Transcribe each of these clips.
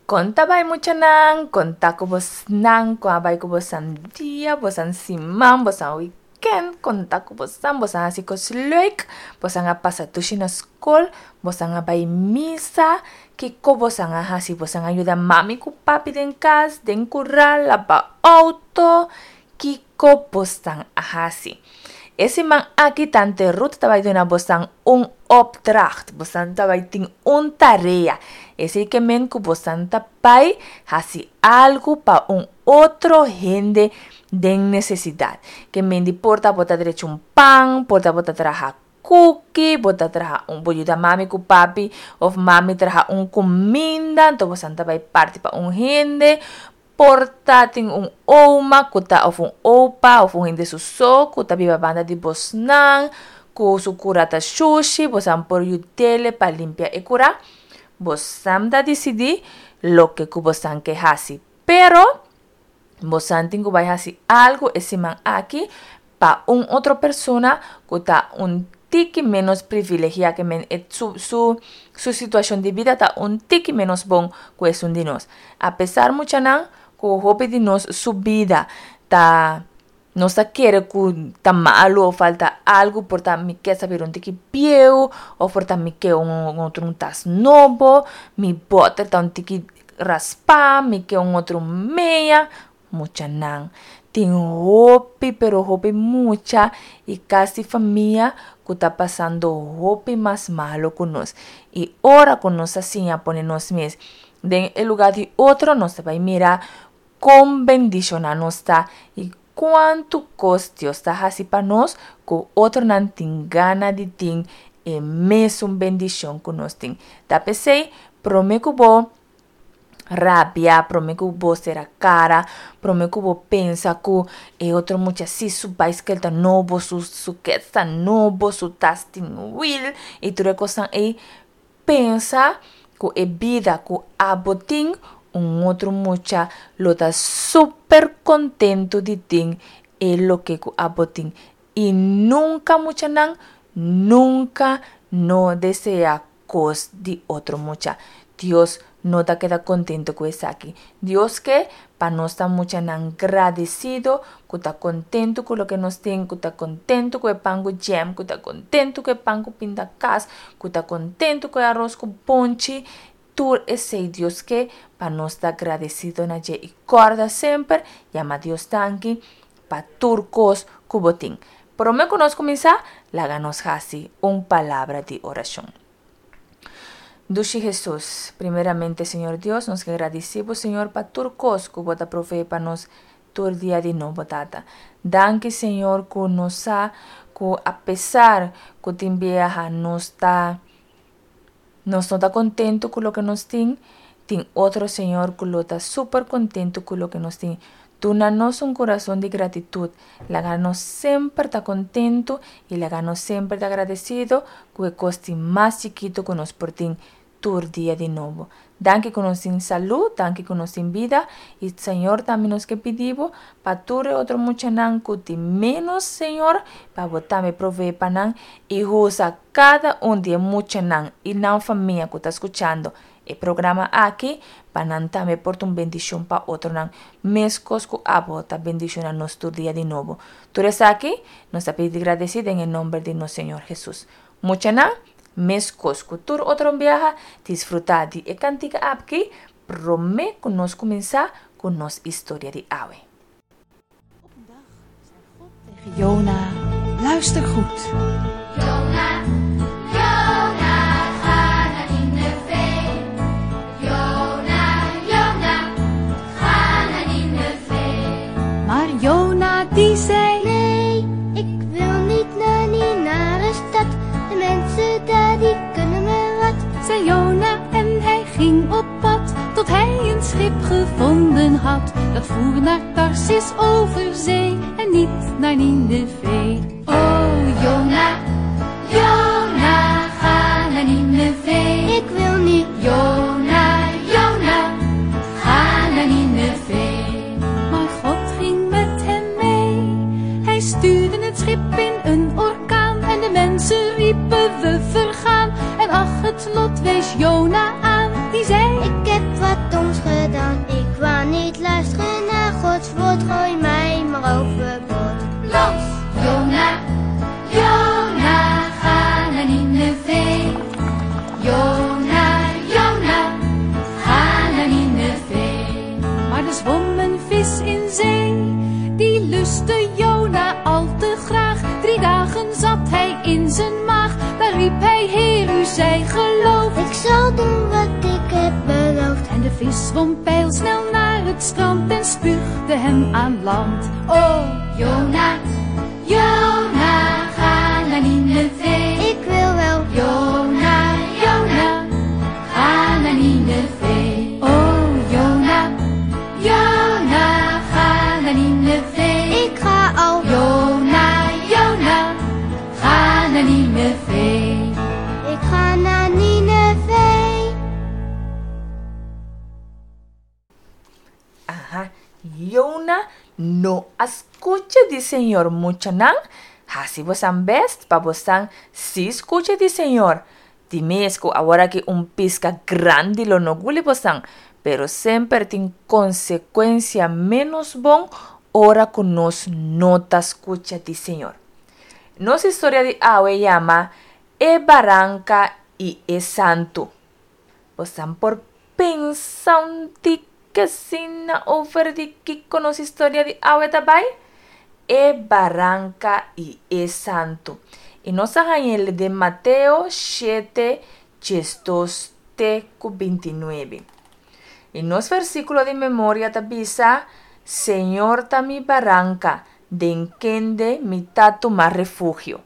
Kon ta bai muchanan? Kon ta ku bosnan? Kon a bai ku bosan dia, bosan siman, bosan weekend? Kon ta ku bosan? Bosan hasi kos leuk? Bosan a pasa dushi na skol? Bosan a bai misa? Kiko bosan a hasi? Bosan a yuda mami ku papi den kas, den kural, laba outo? Kiko bosan a hasi? E siman aki tante Ruth ta bai duna bosan un opdracht. Bosan ta bai tin un tarea. Esei ke men ku bosan ta bai hasi algu pa un otro hende den nesesidat. Ke men di por ta bo ta drecha un pan, por ta bo ta traha kuki, bo ta traha un, bo yuda mami ku papi òf mami traha un kuminda, anto bosan ta bai parti pa un hende. Por ta tin un oma ku ta òf un opa òf un hende su so ku ta biba banda di bosnan ku su kura ta shushi, bosan por yud'é pa limpia e kura. Bosan ta disidí loke ku bosan ke hasi. Pero bosan tin ku bai hasi algu e siman aki pa un otro persona ku ta un tiki ménos privilegiá ke men e su su su situashon di bida ta un tiki ménos bon ku esun di nos. Apesar muchanan ku hopi di nos su bida ta nos ta kere ku ta malu o falta algu por ta mi ke sa bira un tiki bieu o por ta mi ke un otro un tas nobo, mi bòter ta un tiki raspá, mi ke un otro mea. Muchanan tin hopi pero hopi mucha y casi famia cu ta pasando hopi mas malo cu nos. Y ora cu nos a siña pone nos mes den e lugar di otro nos ta bay mira con bendiciona nos ta y cuanto cos Dios ta haci pa nos cu otronan tin gana di tin e mesun bendicion cu nos tin. Ta p'esey prome cu bo rabia, prome ku bo sera kara, prome ku bo pensa ku e otro mucha si su baiskel ta nobo, su su kets ta nobo, su tas tin wiel i tur e kosnan ei, pensa ku e bida ku abo tin un otro mucha lo ta super kontentu di tin e loke ku abo tin i nunka muchanan nunka no desea kos di otro mucha. Dios no ta keda kontento ku esaki. Dios ke pa nos ta muchanan gradesido, ku ta kontento ku loke nos tin, ku ta kontento ku e pan ku jam, ku ta kontento ku e pan ku pinda kas, ku ta kontento ku e aros ku bonchi. Tur esei Dios ke pa nos ta gradesido na dje. I kòrda semper yama Dios danki pa tur kos ku bo tin. Promé ku nos kuminsá, laga nos hasi un palabra di orashon. Dushi Hesus, primeramente Señor Dios, nos ke gradisí bo Señor pa tur kos ku bo ta proveé pa nos tur dia di nobo Tata. Danki Señor ku nos sa ku apesar ku tin biaha nos ta nos no ta kontentu ku loke nos tin, tin otro Señor ku lo ta super kontentu ku loke nos tin. Duna nos un kurason di gratitut. Laga nos semper ta kontentu i laga nos semper ta agradesido ku e kos di mas chikitu ku nos por tin tur dia di nobo. Danki ku nos tin salú, danki ku nos tin bida i Señor tambe nos ke pidi bo pa tur e otro muchanan ku tin ménos Señor pa bo tambe provee pa nan i usa kada un di e muchanan i nan famia ku ta skuchando E programa aki pa nan tambe por ta un bendicion pa otronan, mescos cu abo ta bendiciona nos tur dia di nobo. Tur esaki nos ta pidi gradeci den e nomber di nos Señor Jesus. Muchanan, mescos cu tur otro biaha, disfruta di e cantica apki prome cu nos cuminsa cu nos historia di awe. Op een dag zei God tegen Jona, luister goed. Jona, Jona, ga naar Nineve. Jona, Jona, ga naar Nineve. Maar Jona die zei, Nee, ik wil niet naar die nare stad. De mensen daar die kunnen me wat. Zei Jona en hij ging op pad tot hij een schip gevonden had. Dat voer naar Tarsis over zee en niet naar Nineveh. Oh Jona, Jona, ga naar Nineveh. Ik wil niet. Jona, Jona, ga naar Nineveh. Maar God ging met hem mee. Hij stuurde het schip in een orkaan en de mensen riepen we vergaan. En ach, het lot wees Jona aan, die zei: Ik heb wat doms gedaan. riep hij, Heer, u zij geloofd. Ik zal doen wat ik heb beloofd. En de vis zwom pijlsnel naar het strand en spuugde hem aan land. Oh, Jona, Jona, ga naar Nineveh. Ik wil wel. Jona, Jona, ga naar Nineveh. Oh, Jona, Jona, ga naar Nineveh. Ik ga al. Jona, Jona, ga naar Nineveh. Ik ga naar Nineveh. Aha, Jona no a skucha di Señor muchanan, hasi bosan best pa bosan si skucha di Señor. Di mes ku aworaki un piska grandi lo no guli bosan, pero semper tin konsekuensia menos bon ora ku nos no ta skucha di Señor. Nos historia di awe yama E Baranka i e Santu. Bosan por pensa un tiki asina over di kiko nos historia di awe ta bai? E Baranka i e Santu. I nos a hañ'el den Mateo shete, 12 te ku 29. I nos versíkulo di memoria ta bisa, Señor ta mi baranka, den kende mi ta tuma refugio.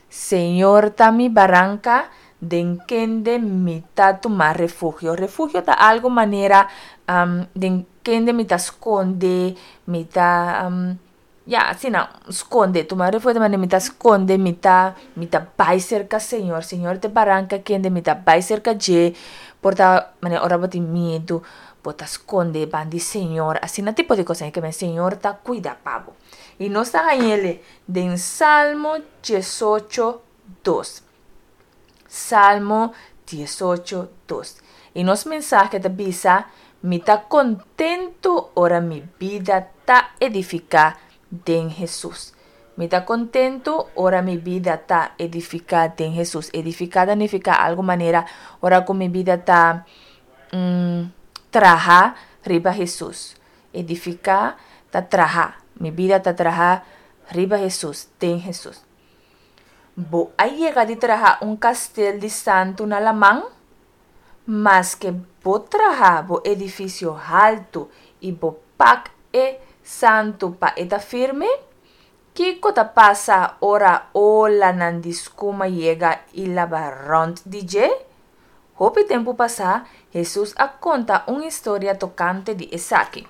Señor ta mi baranka, den kende mi ta tuma refugio. Refugio ta algo manera den kende mi ta skonde, mi ta, ya, asina, skonde. Tuma refugio ta manera mi ta skonde, mi ta, mi ta bai serka Señor. Señor ta e baranka kende mi ta bai serka dje. Por ta manera ora bo tin miedu, bo ta skonde ban di Señor. Asina tipo di kos. Ke men Señor ta kuida pa bo. I nos ta hañ'el den Salmo 18, 2. Salmo 18, 2. I nos mensahe ta bisa, Mi ta kontentu ora mi bida ta edifiká den Hesus. Mi ta kontentu ora mi bida ta edifiká den Hesus. Edifiká ta nifiká algu manera ora ku mi bida ta traha riba Hesus. Edifiká ta traha. Mi bida ta traha riba Hesus, den Hesus. Bo a yega di traha un kastel di santu na laman? Maske bo traha bo edifisio haltu i bo pak e santu pa e ta firme, kiko ta pasa ora olanan di skuma yega i laba rònt di dje? Hopi tempu pasá, Hesus a konta un historia tokante di esaki.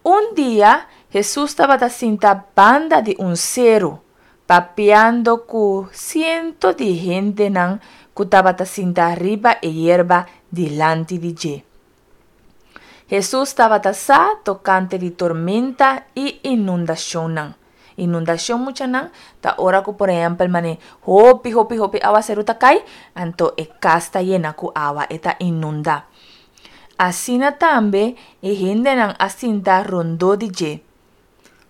Un dia, Hesus tabata sinta banda di un seru, papiando ku siento di hendenan ku tabata sinta riba e yerba dilanti di dje. Hesus tabata sa tokante di tormenta i inundashonnan. Inundashon, muchanan, ta ora ku por ehèmpel manera hopi hopi hopi awaseru ta kai, anto e kas ta yena ku awa, e ta inundá. Asina tambe e hendenan a sinta rondó di dje.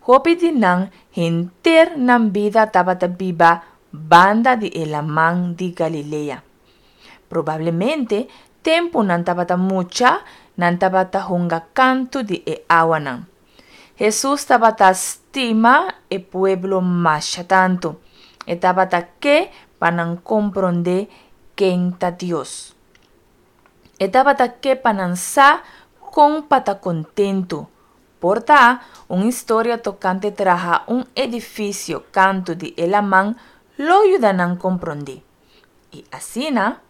Hopi di nan henter nan bida tabata biba banda di e Laman di Galilea. Probablemente tempu nan tabata mucha nan tabata hunga kantu di e awanan. Hesus tabata stima e pueblo masha tantu. E tabata ke pa nan komprondé ken ta Dios. E tabata ke pa nan sa kon pa ta kontentu. Por ta, un historia tokante traha un edifisio kantu di e laman lo yuda nan komprondé. I asina,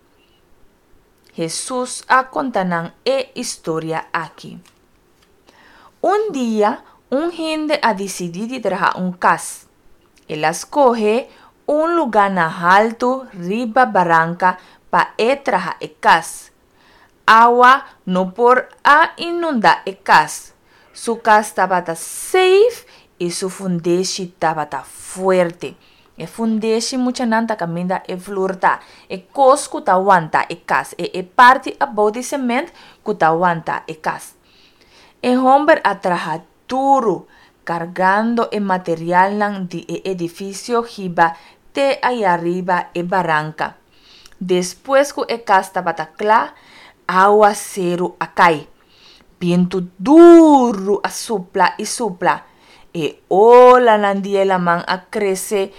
Hesus a konta nan e historia aki. Un dia, un hende a disidí di traha un kas. El a skohe un lugá na haltu riba baranka pa e traha e kas. Awa no por a inundá e kas. Su kas tabata seif i su fundeshi tabata fuerte. E fundeshi muchanan ta kaminda e flur ta, e kos ku ta wanta e kas, e e parti abou di sement ku ta wanta e kas. E hòmber a traha duru, kargando e materialnan di e edifisio hiba te ayariba e baranka. Despues ku e kas tabata kla, awaseru a kai. Bientu duru a supla i supla. E olanan di e laman a krese.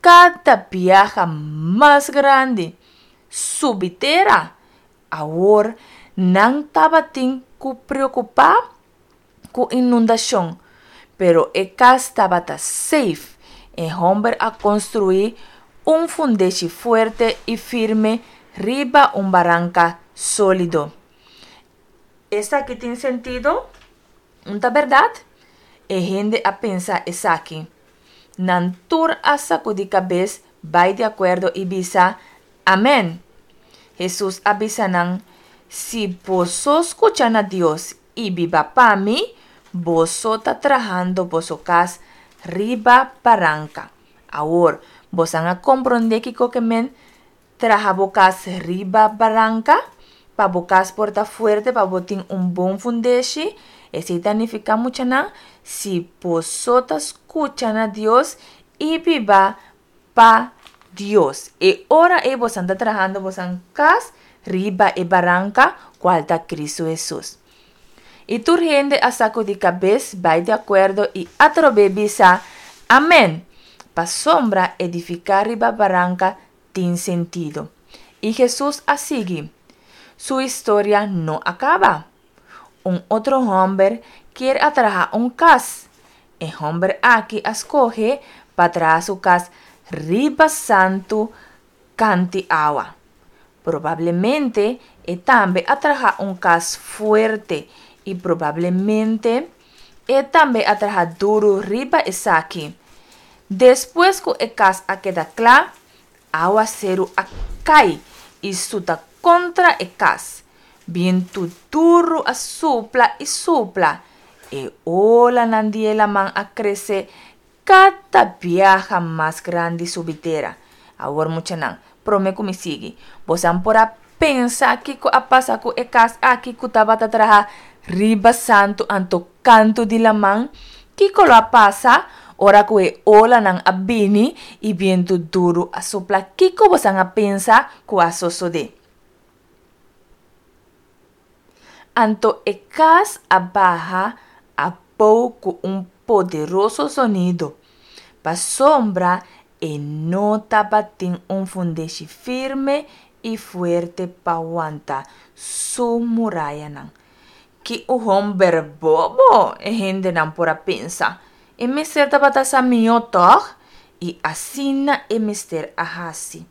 kada biaha mas grandi, subi tera. Awor nan tabatin ku preokupá ku inundashon, pero e kas tabata safe. E hòmber a konstruí un fundeshi fuerte i firme riba un baranka sólido. Esaki tin sentido? Un ta bèrdat? E hende a pensa esaki. Nan tur a sakudí kabes bai di akuerdo i bisa, Amèn! Hesus a bisa nan, Si boso skucha na Dios i biba pa mi, boso ta trahando boso kas riba baranka. Awor, bosan a komprondé kiko ke men traha bo kas riba baranka? Pa bo kas por ta fuerte, pa bo tin un bon fundeshi. Esei ta nifiká, muchanan, si boso ta skucha na Dios i biba pa Dios. E ora ei bosan ta trahando bosan kas riba e baranka, kual ta Kristu Hesus. I tur hende a sakudí kabes bai di akuerdo i atrobe bisa, Amen! Pasobra edifiká riba baranka tin sentido. I Hesus a sigui. Su historia no a kaba. Un otro hòmber kier a traha un kas. E hòmber aki a skohe pa traha su kas riba santu kanti awa. Probablemente e tambe a traha un kas fuerte i probablemente e tambe a traha duru riba esaki. Despues ku e kas a keda kla, awaseru a kai i suta kontra e kas. Bientu duru a supla i supla, e olanan di e laman a krese kada biaha mas grandi subi tera. Awor muchanan, promé ku mi sigui, bosan por a pensa kiko a pasa ku e kas aki ku tabata traha riba santu anto kantu di laman? Kiko lo a pasa ora ku e olanan a bini i bientu duru a supla? Kiko bosan a pensa ku a sosodé? Anto e kas a baha abou ku un poderoso zonido, pasobra e no tabatin un fundeshi firme i fuerte pa wanta su murayanan. Ki un homber bobo! e hendenan por a pensa. E mester tabata sa mihó, tòg? I asina e mester a hasi.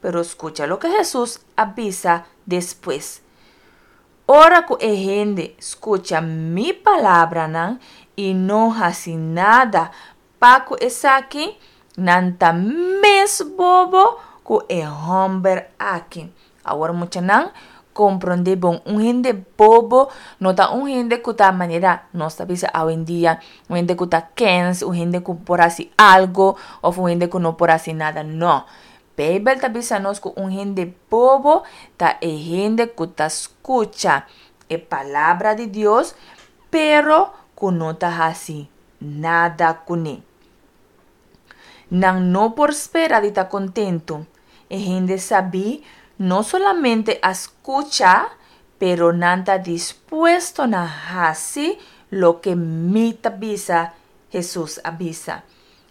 Pero skucha loke Hesus a bisa despues, Ora ku e hende skucha mi palabranan i no hasi nada pa ku esaki, nan ta mes bobo ku e hòmber aki. Awor muchanan, komprondé bon, un hende bobo no ta un hende ku ta manera nos ta bisa awendia, un hende ku ta kens, un hende ku por hasi algo òf un hende ku no por hasi nada. Nò. Beibel ta bisa nos ku un hende bobo ta e hende ku ta skucha e Palabra di Dios, pero ku no ta hasi nada kuné. Nan no por spera di ta kontentu. E hende sabí no solamente a skucha, pero nan ta dispuesto na hasi loke mi ta bisa, Hesus a bisa.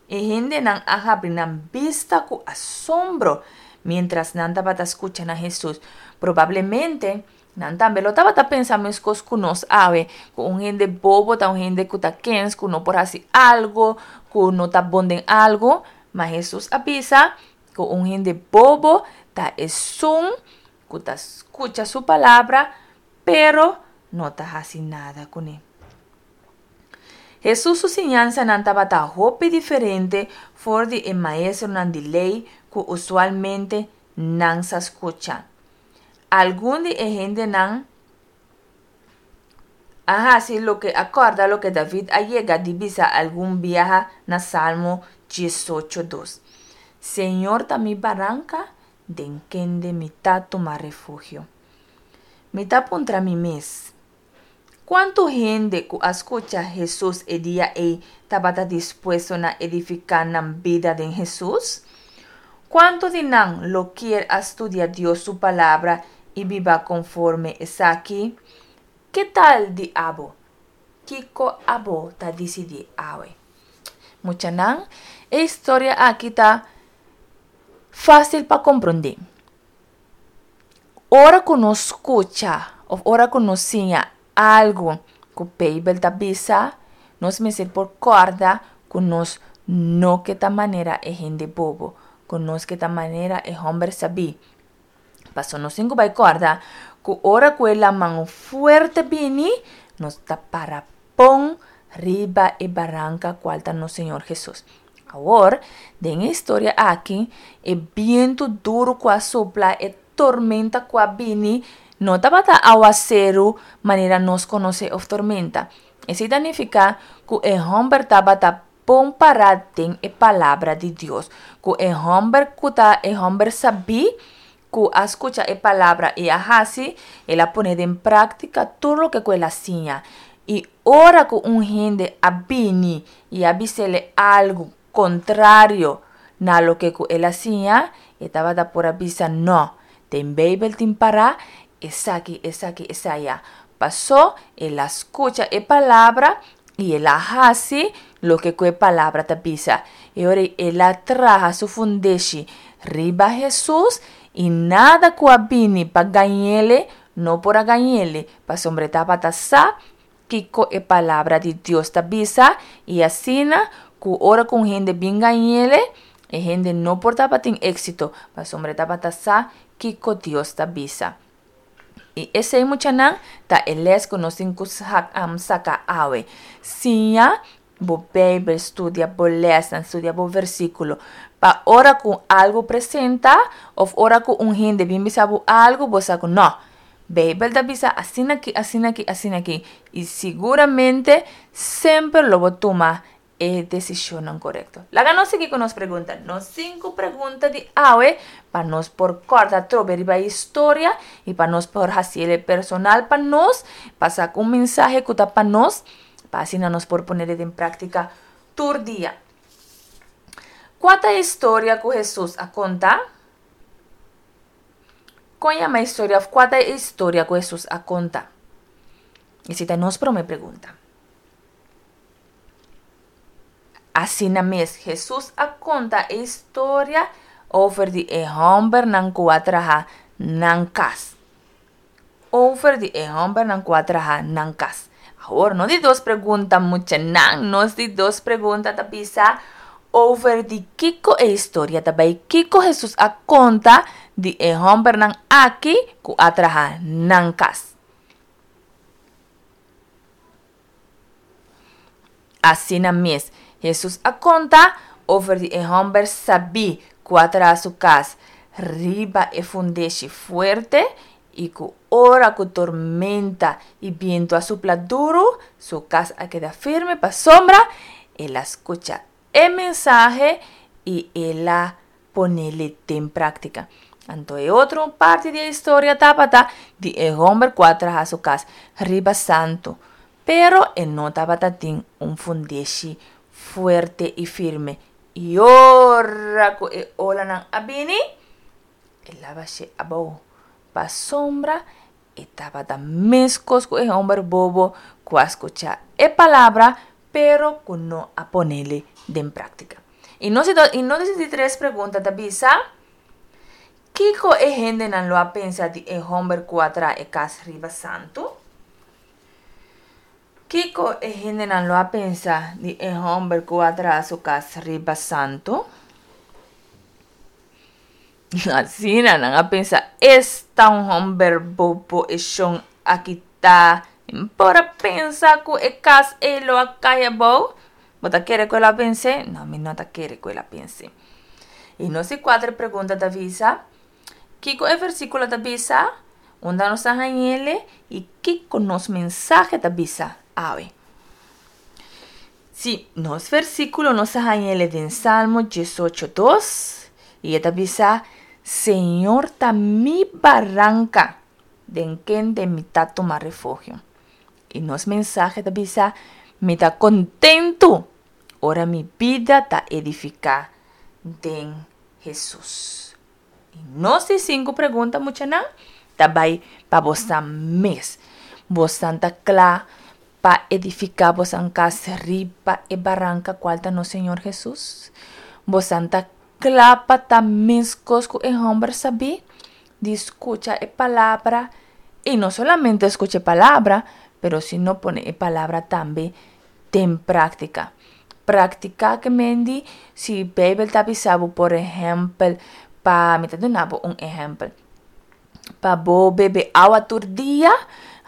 E hendenan a habri nan bista ku asombro miéntras nan tabata skucha na Hesus. Probablemente, nan tambe lo tabata pensa meskos ku nos awe, ku un hende bobo ta un hende ku ta kens, ku no por hasi algu, ku no ta bon den algu. Ma Hesus a bisa ku un hende bobo ta esun ku ta skucha su palabra, pero no ta hasi nada kuné. Hesus su siñansanan tabata hopi diferente for di e maestronan di lei ku usualmente nan sa skucha. Algun di e hendenan a hasi loke a kòrda loke David a yega di bisa algun biaha na Salmo diesocho dos, Señor ta mi baranka, den kende mi ta tuma refugio. Mi ta puntra mi mes, Kuantu hende ku a skucha Hesus e dia ei tabata dispuesto na edifiká nan bida den Hesus? Kuantu di nan lo kier a studia Dios su Palabra i biba konforme esaki? Ke tal di abo? Kiko abo ta disidí awe? Muchanan, e historia aki ta. Fásil pa komprondé. Ora ku nos skucha òf ora ku nos siña algu ku Beibel ta bisa, nos mester por kòrda ku nos no ke ta manera e hende bobo, ku nos ke ta manera e hòmber sabí. Pasobra nos tin ku bai kòrda ku ora ku e laman fuerte bini, nos ta para pon riba e baranka kual ta nos Señor Hesus. Awor, den e historia aki, e bientu duru ku a supla, e tormenta ku a bini, no tabata awaseru manera nos konosé òf tormenta. Esei ta nifiká ku e hòmber tabata bon pará den e Palabra di Dios, ku e hòmber ku ta e hòmber sabí ku a skucha e Palabra i a hasi, el a pone den práktika tur loke ku el a siña. I ora ku un hende a bini i a bis'el algu kontrario na loke ku el a siña, e tabata por a bisa, Nò, den Beibel tin pará esaki, esaki, esaya. Pasó el a skucha e Palabra i el a hasi loke ku e Palabra ta bisa. E ora ei el a traha su fundeshi riba Hesus i nada ku a bini pa gañ'ele no por a gañ'ele, pasobra e tabata sa kiko e Palabra di Dios ta bisa i asina ku ora ku un hende bin gañ'ele, e hende no por tabatin éksito, pasobra e tabata sa kiko Dios ta bisa. I esei muchanan ta e les ku nos tin ku saka awe. Siña bo Beibel, studia bo lèsnan, studia bo versíkulo. Pa ora ku algu presentá òf ora ku un hende bin bisa bo algu, bo sa ku nò, Beibel ta bisa asina aki, asina aki, asina aki. I siguramente semper lo bo tuma e desishonnan korekto. Laga nos sigui ku nos pregunta. Nos sinku pregunta di awe pa nos por kòrda atrobe riba e historia i pa nos por hasi el personal pa nos, pa saka un mensahe ku ta pa nos, pa asina nos por pone den práktika tur dia. Kua ta e historia ku Hesus a konta? Kon yama e historia òf kua ta e historia ku Hesus a konta? Esei ta nos promé pregunta. Asina mes, Hesus a konta e historia over di e hòmbernan ku a traha nan kas. Over di e hòmbernan ku a traha nan kas. Awor, no di dos pregunta muchanan, nos di dos pregunta ta bisa over di kiko e historia ta bai, kiko Hesus a konta di e hòmbernan aki ku a traha nan kas. Asina mes, Hesus a konta over di e hòmber sabí ku a traha su kas riba e fundeshi fuerte i ku ora ku tormenta i bientu a supla duru, su kas a keda firme pasobra el a skucha e mensahe i el a ponele den práktika. Anto e otro parti di e historia tabata di e hòmber ku a traha su kas riba santu, pero e no tabata tin un fundeshi fuerte i firme. I ora ku e olanan a bini, el a bash'é abou. Pasobra e tabata meskos ku e hòmber bobo ku a skucha e palabra, pero ku no a ponele den práktika. I nos i nos di tres pregunta ta bisa, Kiko e hendenan lo a pensa di e hòmber ku a traha e kas riba santu? Kiko e hendenan lo a pensa di e hòmber ku a traha su kas riba santu? Asina nan a pensa, Esta un hòmber bobo e shon aki ta! Mi por a pensa ku e kas ei lo a kai abou. Bo ta kere ku el a pens'é? No, mi no ta kere ku el a pens'é. I nos di kuater pregunta ta bisa, Kiko e versíkulo ta bisa? Unda nos ta hañ'el? I kiko nos mensahe ta bisa awe? Sí, nos versíkulo nos ta hañ'el den Salmo diesocho dos, i e ta bisa, Señor ta mi baranka, den kende mi ta tuma refugio. I nos mensahe ta bisa, Mi ta kontentu ora mi bida ta edifiká den Hesus. I nos di sinku pregunta, muchanan, ta bai pa bosan mes. Bosan ta kla pa edifiká bosan kas riba e baranka kual ta nos Señor Hesus? Bosan ta. kla pa ta meskos ku e hòmber sabí? Di skucha e palabra i no solamente skucha e palabra, pero sino pone e palabra tambe den práktika. Praktiká ke men di si Beibel ta bisa bo por ehèmpel pa, mi ta duna bo un ehèmpel, pa bo bebe awa tur dia,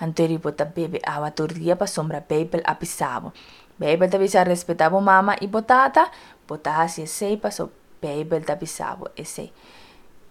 anto eri bo ta bebe awa tur dia pasobra Beibel a bisa bo. Beibel ta bisa respetá bo mama i bo tata, bo ta hasi esei pasobra Beibel ta bisa bo esei.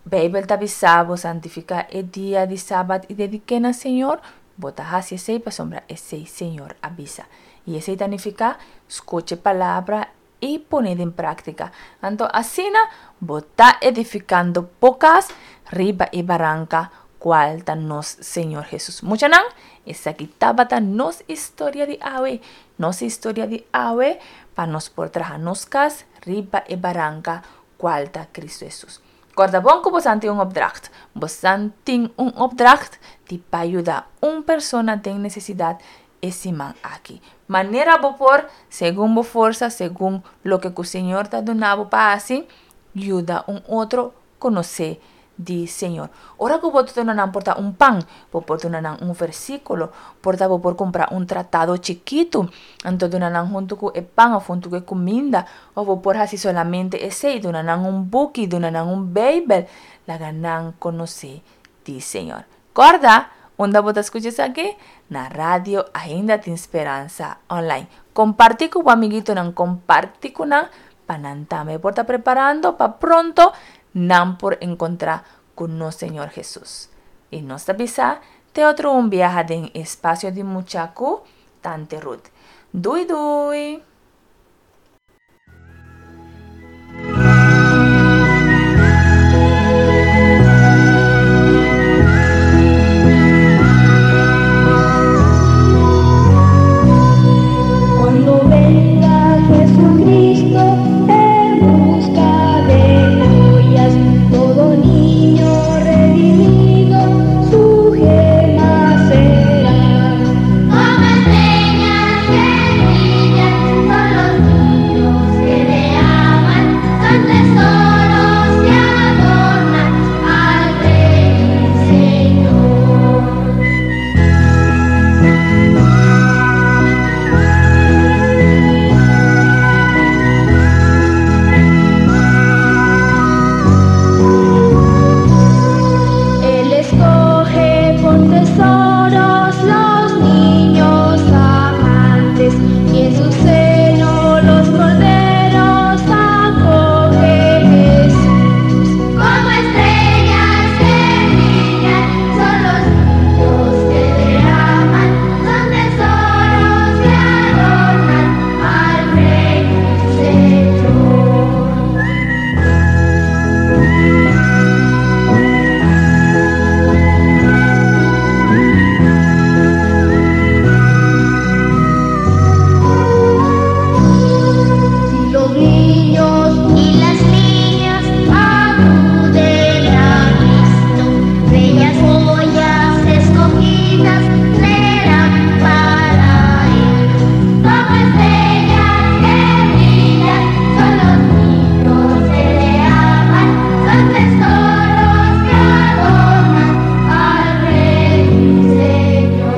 Beibel ta bisa bo santifiká e dia di sabat i dedik'é na Señor, bo ta hasi esei pasobra esei Señor a bisa. I esei ta nifiká skucha e palabra i pone den práktika. Anto asina bo ta edifikando bo kas riba e baranka kual ta nos Señor Hesus. Muchanan, esaki tabata nos historia di awe. Nos historia di awe pa nos por traha nos kas riba e baranka kual ta Kristu Hesus. Kòrda bon ku bosan tin un opdracht. Bosan tin un opdracht di pa yuda un persona den nesesidat e siman aki. Manera bo por, segun bo forsa, segun loke ku Señor ta duna bo pa hasi, yuda un otro konosé di Señor. Ora ku bo ta duna nan por ta un pan, bo por duna nan un versíkulo, por ta bo por kumpra un tratado chikitu, anto duna nan huntu ku e pan òf huntu ku e kuminda, òf bo por hasi solamente esei, duna nan un buki, duna nan un Beibel, laga nan konosé di Señor. Kòrda, unda bo ta skucha esaki? Na Radio Ainda Tin Speransa Online. Kompartí ku bo amiguitonan, kompartí ku nan pa nan tambe por ta preparando pa pronto nan por enkontrá ku nos Señor Hesus. I nos ta bisa te otro un biaha den Espacio di Mucha ku Tante Ruth. Dui dui! Cuando venga Jesucristo en busca de joyas, todo niño redimido su gema será. Como estrellas que brillan son los niños que te aman, son tesoros que adornan al Rey y Señor. Él escoge por tesoros los niños amantes y en su seno los corderos acoge Jesús. Como estrellas que brillan son los niños que te aman, son tesoros que adornan al Rey y Señor. Si los niños y las niñas acuden a Cristo, bellas joyas escogidas serán para Él. Como estrellas que brillan son los niños que le aman, son tesoros que adornan al Rey y Señor.